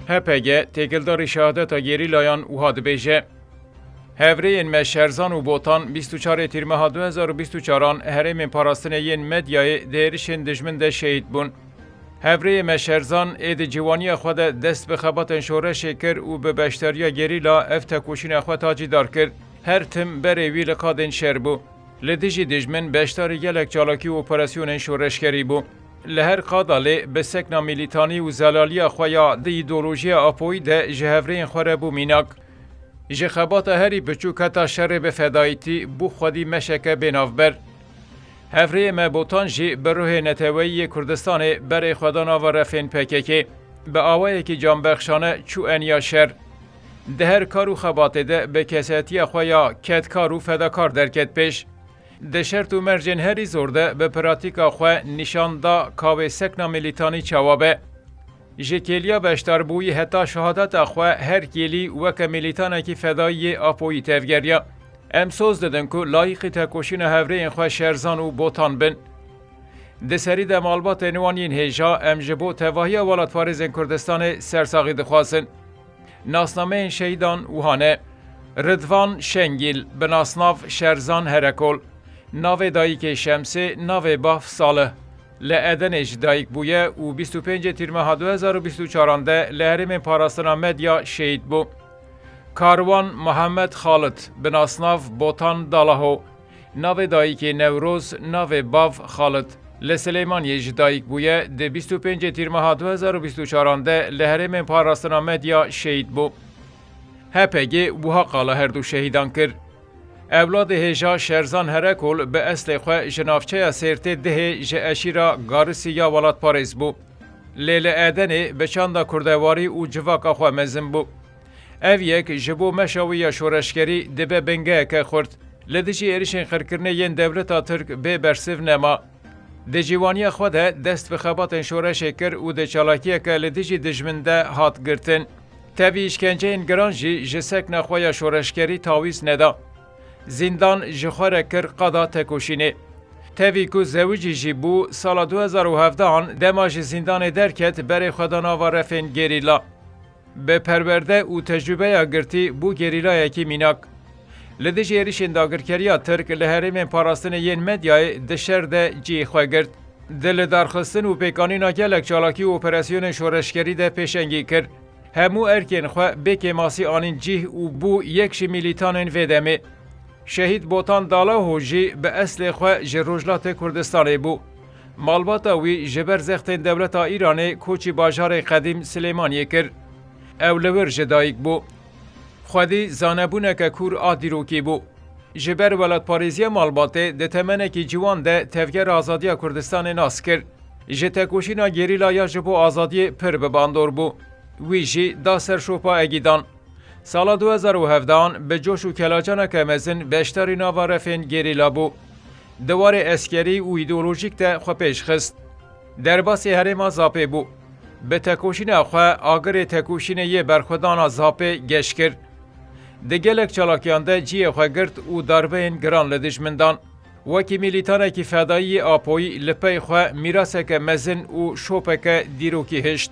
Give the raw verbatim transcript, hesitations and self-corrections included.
H P G têkildarî şehadeta gerîlayan wiha dibêje: Hevrêyên me Şerzan û Botan bîst û çarê Tîrmeha du hezar û bîst û çaran herêmên parastinê yên Medyayê di êrişên dijmin de şehîd bûn. Hevrêyê me Şerzan ê di ciwaniya xwe de dest bi xebatên şoreşê kir û bi beşdariya gerîla ev tekoşîna xwe tacîdar kir. Her tim berê wî li qadên şer bû. Li dijî dijmin beşdarî gelek çalakî û operasyonên şoreşgerî bû. Li her qada lê bi sekna milîtanî û zelaliya xwe ya di îdeolojiya Apoyî de ji hevrêyên xwe re bû mînak. Ji xebata herî biçûk heta şerê bi fedayîtî bû xwedî meşeke bênavber. Hevrêyê me Botan jî bi ruhê neteweyî yê Kurdistanê berê xwe da nava refên P K K. Bi awayekî canbexşane çû eniya şer. Di her kar û xebatê de bi kesetiya xwe ya kedkar û fedakar derket pêş. Di şert û mercên herî zor de bi pratîka xwe nîşan da ka wê sekna milîtanî çawa be. Ji kêliya beşdarbûyî heta şehadeta xwe her kêlî weke milîtanekî fedayî yê Apoyî tevgeriya. Em soz didin ku layîqî tekoşîna hevrêyên xwe Şerzan û Botan bin. Di serî de malbatên wan yên hêja em ji bo tevahiya welatparêzên Kurdistanê sersaxî dixwazin. Nasnameyên şehîdan wiha ne: Ridvan Şengîl, bi nasnav Şerzan Herekol, navê dayikê Şemsê, navê bav Salih. Li Edenê ji dayik bûye û bîst û pêncê Tîrmeha du hezar û bîst û çaran de li herêmên parastina Medya şehîd bû. Karwan Muhammed Xalit, bi nasnav Botan Dalaho, navê dayikê Newroz, navê bav Xalit. Li Silêmaniyê ji dayik bûye, di bîst û pêncê Tîrmeha du hezar û bîst û çaran de li herêmên parastina Medya şehîd bû. H P G wiha qala her du şehîdan kir: Ewladê hêja Şerzan Herekol bi eslê xwe ji navçeya Sêrtê Dihê ji eşîra Garisî ya welatparêz bû. Lê li Edenê bi çanda kurdewarî û civaka xwe mezin bû. Ev yek ji bo meşa wî ya şoreşgerî dibe bingeheke xurt. Li dijî êrişên qirkirinê yên dewleta Tirk bê bersiv nema. Di ciwaniya xwe de dest bi xebatên şoreşê kir û di çalakiyeke li dijî dijmin de hat girtin. Tevî îşkenceyên giran jî ji sekna xwe ya şoreşgerî tawîz neda. Zîndan ji xwe re kir qada tekoşînê. Tevî ku zewicî jî bû, sala du hezar û hevdehan dema ji zîndanê derket, berê xwe da nava refên gerîla. Bi perwerde û tecrûbeya girtî bû gerîlayekî mînak. Li dijî êrişên dagirkeriya Tirk li herêmên parastinê yên Medyayê di şer de cihê xwe girt. Di lidarxistin û pêkanîna gelek çalakî û operasyonên şoreşgerî de pêşengî kir. Hemû erkên xwe bê kêmasî anîn cih û bû yek ji milîtanên vê demê. Şehîd Botan Dalaho jî bi eslê xwe ji Rojhilatê Kurdistanê bû. Malbata wî ji ber zextên dewleta Îranê koçî bajarê qedîm Silêmaniyê kir. Ew li wir ji dayik bû. Xwedî zanebûneke kûr a dîrokî bû. Ji ber welatparêziya malbatê di temenekî ciwan de Tevgera Azadiya Kurdistanê nas kir. Ji tekoşîna gerîla ya ji bo azadiyê pir bi bandor bû. Wî jî da ser şopa Egîdan. Sala du hezar û hevdehan bi coş û kelacaneke mezin beşdarî nava refên gerîla bû. Di warê eskerî û îdeolojîk de xwe pêş xist. Derbasî herêma Zapê bû. Bi tekoşîna xwe agirê tekoşînê yê berxwedana Zapê geş kir. Di gelek çalakiyan de cihê xwe girt û darbeyên giran li dijmin dan. Wekî milîtanekî fedayî yê Apoyî li pey xwe mîraseke mezin û şopeke dîrokî hişt.